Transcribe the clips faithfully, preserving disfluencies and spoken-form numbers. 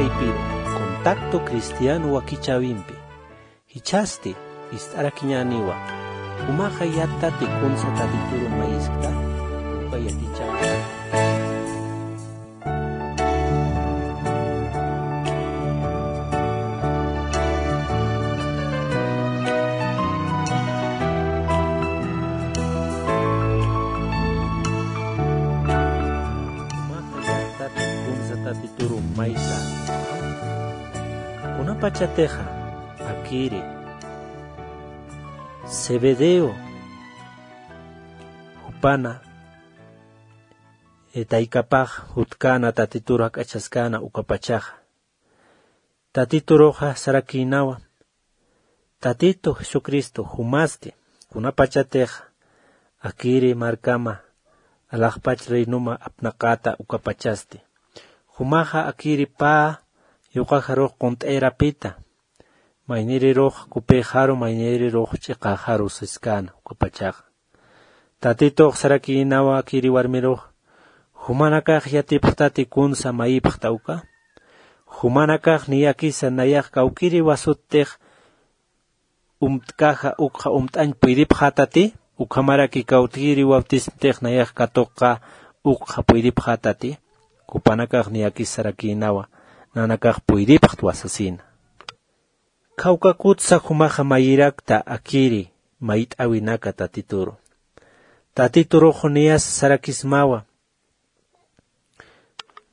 Contacto cristiano wakichäwimpi jichhasti ist'arakiñäniwa. Jumaxa yattati kunsa Tatituru mayiskta, uka yatichäwimpi. Jumaxa yattati kunsa Tatituru maysa. Kunapachatixa akiri Zebedeo jupana taykapax jutkäna Tatituru jak'achaskäna ukapachaxa. Tatituruxa sarakïnawa, Tatitu Jesucristo jumasti, kunapachatix akiri markama alaxpach reinuma apnaqäta ukapachasti. Jumaxa akiri pä yuqaxarux qunt'ayrapita, maynirirux kupïxaru, maynirirux ch'iqäxaru siskäna ukapachaxa. Tatitux sarakïnawa akiri warmirux, jumanakax yatipxtati kunsa mayipxta uka. Jumanakax niyakisa nayax kawkïriwasuttix umtkaxa ukxa umt'añ puydipxätati, ukhamaraki kawkïriwaptismtix nayax katuqxa ukxa puydipxätati. Jupanakax niyakis sarakïnawa, nanakax puydipxtwa sasina. Kawkakutsa jumaxa mayirakta akiri mayt'äwinaka Tatituru. Tatiturux niyas sarakismawa.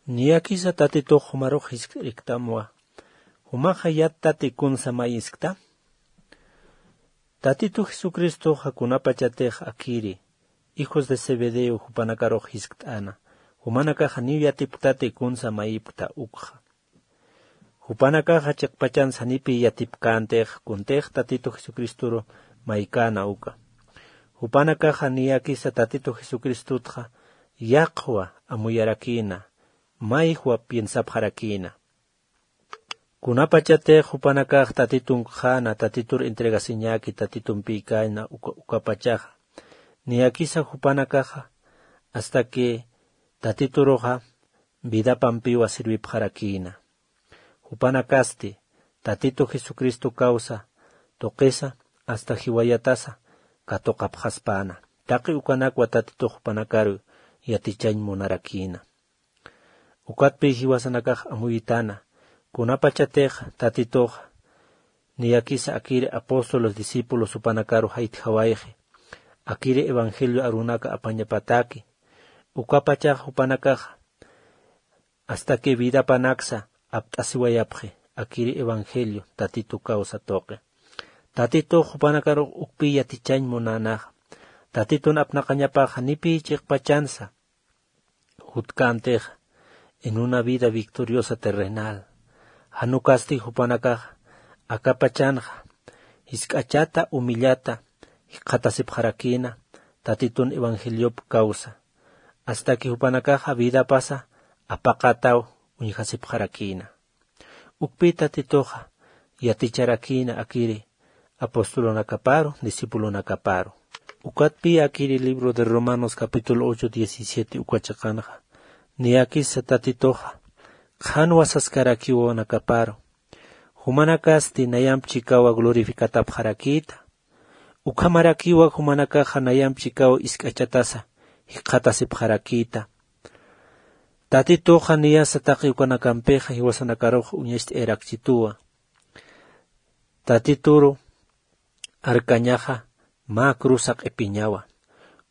Niyakisa Tatitux jumarux jiskt'iriktamwa. Jumaxa yattati kunsa mayiskta. Tatitu Jesucristoxa kunapachatix akiri hijos de Zebedeo jupanakarux jiskt'äna. Jumanakaxa niw yatipktati kunsa mayipkta ukxa. Jupanakaxa chiqpachansa janipiy yatipkäntix kuntix Tatitu Jesucristoru maykäna uka. Jupanakaxa niyakisa Tatitu Jesucristotxa yaqhwa amuyarakïna, mayjwa piensapxarakïna. Kunapachatix jupanakax Tatitunkxäna, Tatitur entregasiñäki, Tatitumpïkäna uka, ukapachaxa. Niyakisa jupanakaxa, hasta que Tatituruxa vidapampiwa sirvipxarakïna. Jupanakasti Tatitu Jesucristo kawsa tuqisa hasta jiwayatasa katuqapxaspäna. Taqi ukanakwa Tatitux jupanakaru yatichañ munarakïna. Ukatpï jiwasanakax amuyitana, kunapachatix Tatitux niyakisa akiri apóstoles discípulos jupanakaru jaytjawayxi, akiri evangelio arunaka apañapataki, ukapachax jupanakaxa hasta que vidapanaksa apt'asiwayapxi akiri evangelio Tatitu kawsa tuqi. Tatitux jupanakarux ukpï yatichañ munänaxa. Tatitun apnaqañapaxa janipiy chiqpachansa jutkäntix en una vida victoriosa terrenal. Jan ukasti jupanakaxa akapachanxa jisk'achata, humillata jikxatasipxarakïna Tatitun evangeliop kawsa. Hasta que jupanakaxa vidapasa apaqataw uñjasipxarakïna. Ukpï Tatituxa yaticharakïna akiri apostolunakaparu, discipulunakaparu. Ukatpï akiri libro de Romanos capítulo ocho, diecisiete uka chiqanxa, niyakisa Tatituxa qhanwa saskarakiwanakaparu. Jumanakasti nayamp chikawa glorificatapxarakïta. Ukhamarakiwa jumanakaxa nayamp chikawa isk'achatasa jikxatasipxarakïta. Tatituxa niyasa taqi ukanakampixa jiwasanakarux uñacht'ayarakchituwa. Tatituru arkañaxa mä cruza q'ipiñawa.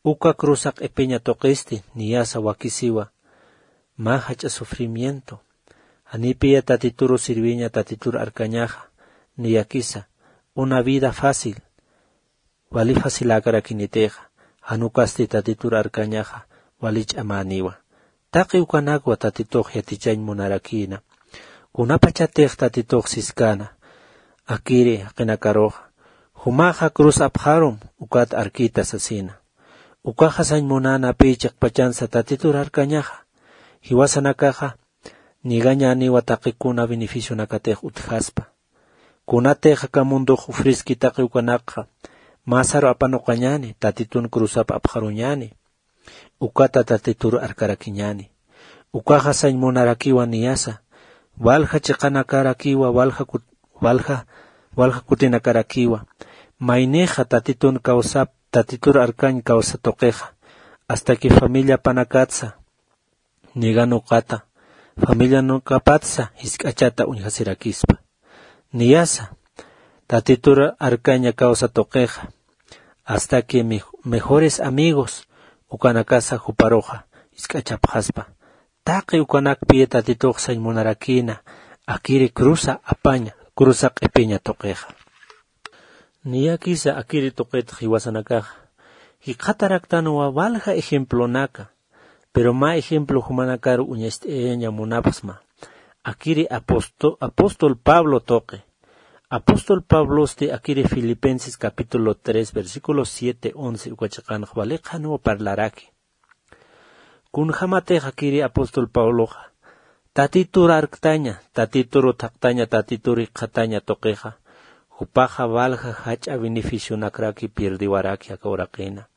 Uka cruza q'ipiña tuqisti niyasa wakisiwa mä jach'a sufrimiento. Janipiya Tatituru sirviña, Tatitur arkañaxa niyakisa una vida fácil, wali faciläkarakinitixa, jan ukasti Tatitur arkañaxa wali ch'amäniwa. Taqi ukanakwa Tatitux yatichañ munarakïna. Kunapachatix Tatitux siskäna akiri jaqinakaruxa, jumaxa cruz apxarum ukat arkïta sasina. Ukaxa sañ munäna pï chiqpachansa Tatitur arkañaxa. Jiwasanakaxa ñigañäniwa taqi kuna beneficionakatix utjaspa. Kunatix aka mundux ufriski taqi ukanakxa, masaru apanuqañäni, Tatitun cruzap apxaruñäni. Ukata Tatitur arkarakiñäni. Ukaxa sañ munarakiwa niyasa walja chiqanakarakiwa, walja kut-, walja, walja kutinakarakiwa. Maynixa Tatitun kawsap, Tatitur arkañ kawsa tuqixa, hasta que familiapanakatsa, nigan uqata, familianakapatsa jisk'achata uñjasirakispa. Niyasa, Tatitur arkaña kawsa tuqixa, hasta que mej-, mejores amigos ukanakasa juparuxa jisk'achapxaspa. Taqi ukanakpi Tatitux sañ munarakïna, akiri cruza apaña, cruza q'ipiña tuqixa. Niyakisa akiri tuqitx jiwasanakaxa jikxataraktanwa walja ejemplonaka, pero mä ejemplo jumanakaru uñacht'ayaña munapxsma. Akiri aposto-, apóstol Pablo tuqi. Apóstol Pablosti akiri Filipenses capítulo tres, versículo siete, once uka chiqanx waliqanwa parlaraki. Kunjamatix akiri apóstol Pabloxa Tatitur arktaña, Tatitur thaqtaña, Tatitur jikxataña tuqixa, jupaxa walja jach'a beneficionakraki pierdiwaraki aka uraqina.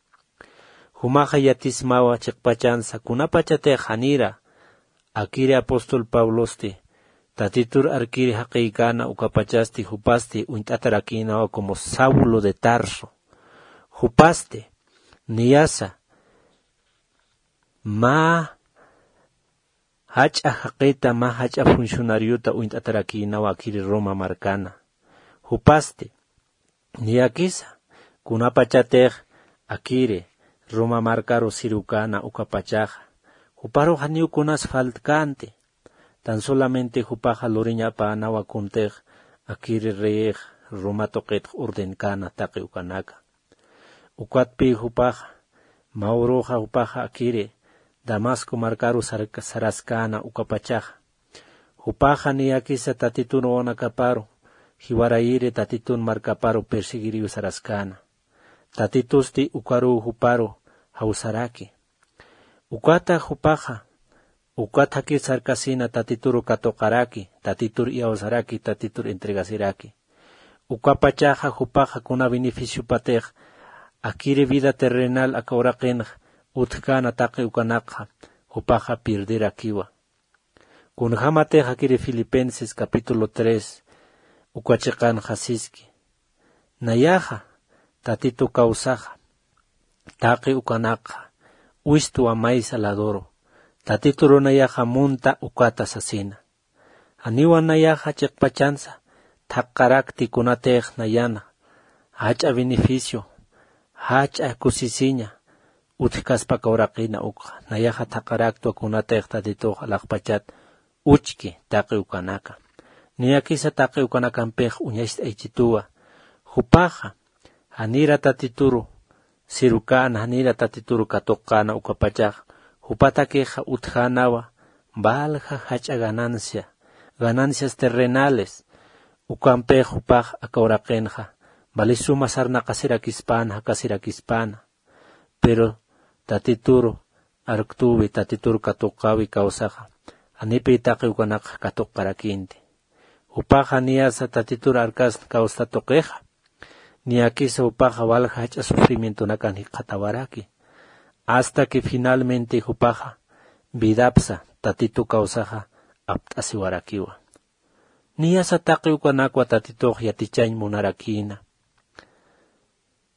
Jumaxa yatismawa chiqpachansa, kunapachatix janira akiri apóstol Pablosti Tatitur arkiri jaqïkäna ukapachasti jupasti uñt'atarakïnawa como Saulo de Tarso. Jupasti niyasa mä jach'a jaqita, mä jach'a funcionariota uñt'atarakïnawa akiri Roma markana. Jupasti niyakisa kunapachatix akiri Roma markaru sirukana ukapachaxa, juparu janiw kunas faltkänti. Tan solamente jupaxa luriñapänawa kuntix akiri reyix Roma tuqitx ordenkana taqi ukanaka. Ukatpï jupaxa, mä uruxa jupaxa akiri Damasco markaru sark-, saraskäna ukapachaxa. Jupaxa niyakisa Tatitun wawanakaparu jiwarayiri Tatitun markaparu perseguiriw saraskäna. Tatitusti ukaruw juparu jawsaraki. Ukata jupaxa, ukat jakir sarkasina Tatituru katuqaraki, Tatitur iyawsaraki, Tatitur entregasiraki. Ukapachaxa jupaxa kuna beneficiopatix akiri vida terrenal aka uraqinxa utjkäna taqi ukanakxa jupaxa pierderakiwa. Kunjamatix akiri Filipenses capítulo tres uka chiqanxa siski. Nayaxa Tatitu kawsaxa, taqi ukanakxa wistwa maysa laduru, Tatituru nayaxa munta ukata sasina. Janiwa nayaxa chiqpachansa thaqarakti kunatix nayana jach'a beneficio, jach'a kusisiña utjkaspa aka uraqina ukxa. Nayaxa thaqaraktwa kunatix Tatitux alaxpachat uchki taqi ukanaka. Niyakisa taqi ukanakampix uñacht'aychituwa. Jupaxa janira Tatituru sirukana, janira Tatituru katuqkana ukapachaxa, jupatakixa utjänawa valja jach'a ganancia, ganancias terrenales. Ukampix jupax aka uraqinxa valisuma sarnaqasirakispäna, jakasirakispäna. Pero Tatituru arktüwi, Tatituru katuqäwi kawsaxa, janipï taqi ukanakxa katuqarakïnti. Jupaxa niyasa Tatitur arkasna kawsta tuqixa, niyakisa jupaxa walja jach'a sufrimientonakan jikxatawaraki. Hasta que finalmente jupaxa vidapsa Tatitu kawsaxa apt'asiwarakiwa. Niyasa taqi ukanakwa Tatitux yatichañ munarakïna.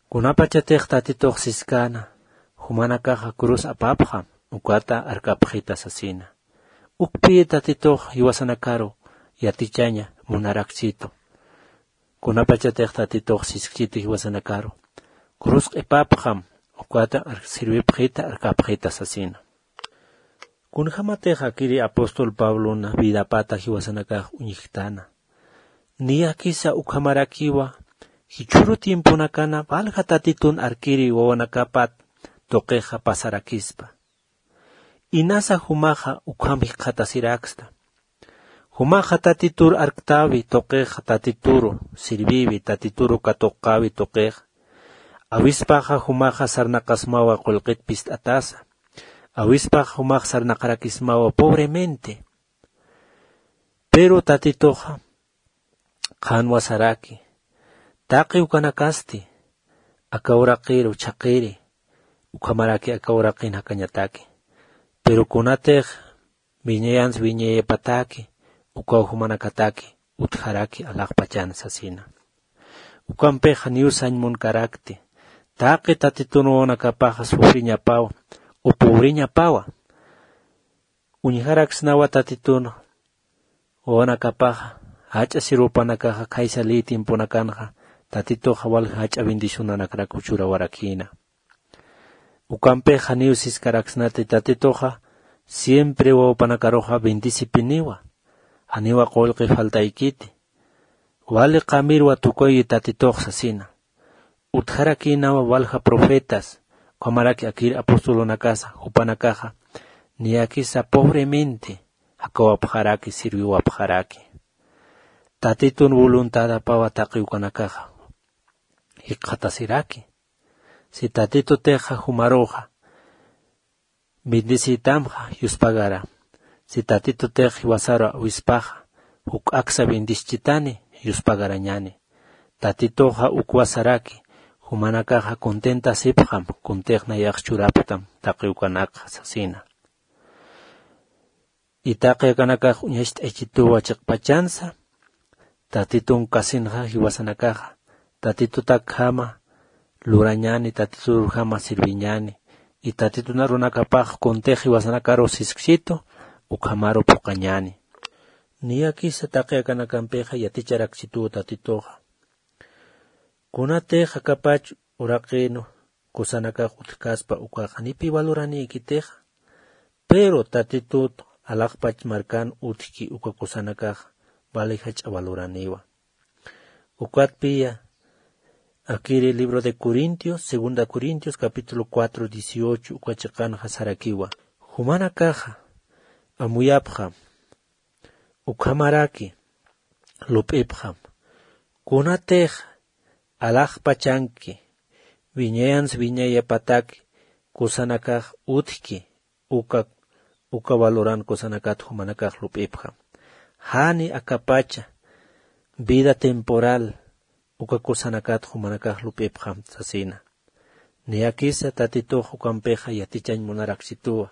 Kunapachatix Tatitux siskäna, jumanakaxa cruz apapxam, ukata arkapxita sasina. Ukpï Tatitux jiwasanakaru yatichaña munarakchitu. Kunapachatix Tatitux siskchitu jiwasanakaru, cruz q'ipapxam, ukata ar-, sirwipxita, arkapxita sasina. Kunjamatix akiri apóstol Pablona vidapata jiwasanakax uñjktäna. Niyakisa ukhamarakiwa, jichhüru tiemponakana valja Tatitun arkiri wawanakapat tuqixa pasarakispa. Inasa jumaxa ukham jikxatasiraksta. Jumaxa Tatitur arktäwi tuqixa, Tatituru sirviwi, Tatituru katuqäwi tuqixa. Awispaxa jumaxa sarnaqasmawa qullqit pist'atasa. Awispaxa jumax sarnaqarakismawa pobremente. Pero Tatituxa qhanwa saraki, taqi ukanakasti aka uraqiru chhaqiri, ukhamaraki aka uraqin jakañataki. Pero kunatix wiñayansa wiñayapataki, ukaw jumanakataki utjaraki alaxpachan sasina. Ukampix janiw sañ munkarakti, taqi tatitun wawanakapaxa sufriñapawa o pobriñapawa. Uñjaraksnawa tatitun wawanakapaxa, jach'a sirwpanakaxa khaysa lï tiemponakanxa tatituxa wal jach'a bendicionanakrak churawarakïna. Ukampix janiw siskaraksnati tatituxa siempre wawpanakaruxa bendicipiniwa, janiwa qullqi faltaykiti, wali qamirwa tukuyi tatitux sasina. Utjarakïnawa walja profetas ukhamaraki akir apostolunakasa jupanakaxa niyakisa pobremente jakawapxaraki sirwiwapxaraki. Tatitun voluntadapawa taqi ukanakaxa jikxatasiraki. Si tatitutixa jumaruxa bendicitamxa yuspagara, si tatitutix jiwasaru awispaxa juk'aksa bendischtani yuspagarañani. Tatituxa ukwasaraki jumanakaxa contentasipxam kuntix nayax churapktam taqi ukanakxa sasina. Itaqi akanakax uñacht'aychituwa chiqpachansa tatitun kasinxa jiwasanakaxa tatitutakjama lurañani tatiturujama sirviñani. Itatitunarunakapax kuntix jiwasanakaru sisksitu ukhamaru phuqañani. Niyakisa taqi akanakampixa yaticharaksituwa tatituxa. Kunatix akapach uraqinu kusanakax utjkaspa ukaxa nipi valoraniykitixa. Pero tatitut alaxpach markan utjki uka kusanakax vali jach'a valoraniwa. Ukatpiya akiri libro de corintios segunda corintios capítulo cuatro dieciocho uka chiqanxa sarakiwa. Jumanakaxa amuyapxam ukhamaraki lup'ipxam. Kunatix alaxpachanki wiñayans wiñayapataki kusanakax utjki uka uka valoran kusanakat jumanakax lup'ipxam. Jani akapacha vida temporal uka kusanakat jumanakax lup'ipxam sasina. Niyakisa tatitux ukampixa yatichañ munaraksituwa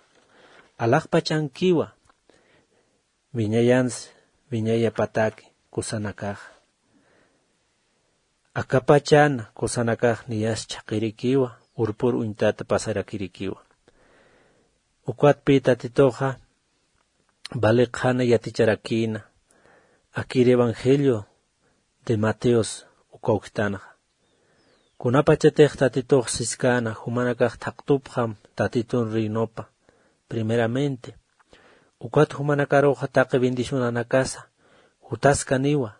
alaxpachankiwa wiñayans wiñayapataki kusanakaxa. Akapachan kusanakax niyas chhaqirikiwa urpur uñtata pasarakirikiwa. Ukatpi tatituxa vali qhana yaticharakïna akir evangelio de mateos uka ujtanxa. Kunapachatix tatitux siskäna jumanakax thaqtupxam tatitun reinopa primeramente. Ukat jumanakaruxa taqi bendicionanakasa jutaskaniwa.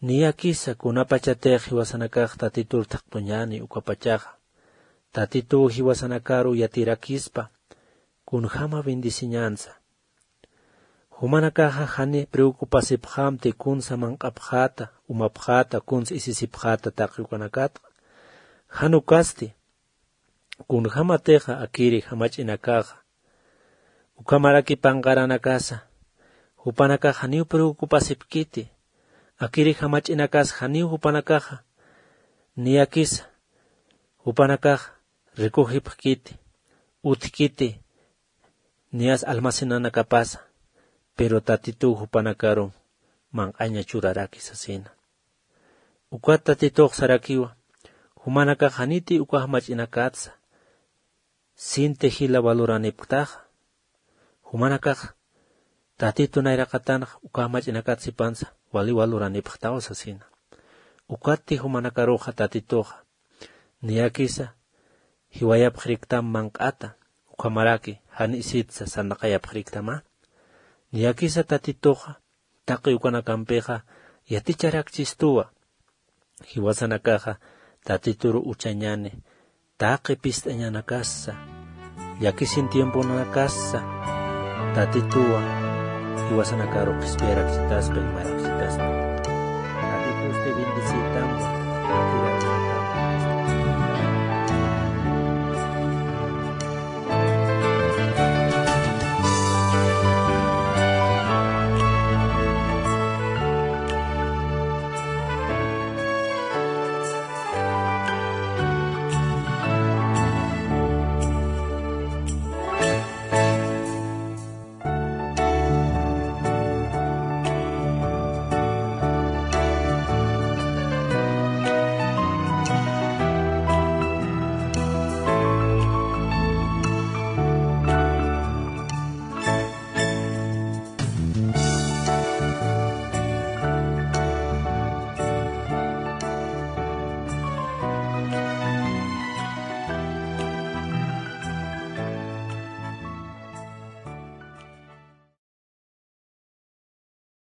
Niyakisa kunapachatix jiwasanakax tatitur thaqtuñani ukapachaxa tatituw jiwasanakaru yatirakispa kunjama bendiciñansa. Jumanakaxa jani preocupasipxamti kunsa manq'apxäta umapxäta kunsa isisipxäta taqi ukanakatxa. Jan ukasti kunjämatixa akiri jamach'inakaxa ukhamaraki panqaranakasa jupanakax janiw preocupasipkiti. Akiri jamach'inakas janiw jupanakaxa niyakisa jupanakax recogipxkiti utjkiti niyas almacenanakapasa. Pero tatituw jupanakaru manq'aña churaraki sasina. Ukat tatitux sarakiwa jumanakax janiti uka jamach'inakatsa sinti jila valoranipktaxa. Jumanakax tatitu nayraqatanxa uka jamach'inakat sipansa wali valoranipxtaw sasina. Ukatti jumanakaruxa tatituxa niyakisa jiwayapxiriktam manq'ata ukhamaraki jan isitsa sarnaqayapxiriktama. Niyakisa tatituxa taqi ukanakampixa yaticharakchistuwa jiwasanakaxa tatituru uchañani taqi pist'añanakasa llakisin tiemponanakasa tatituwa jiwasanakaru qhispiyarakchitaspa imarakchitaspa.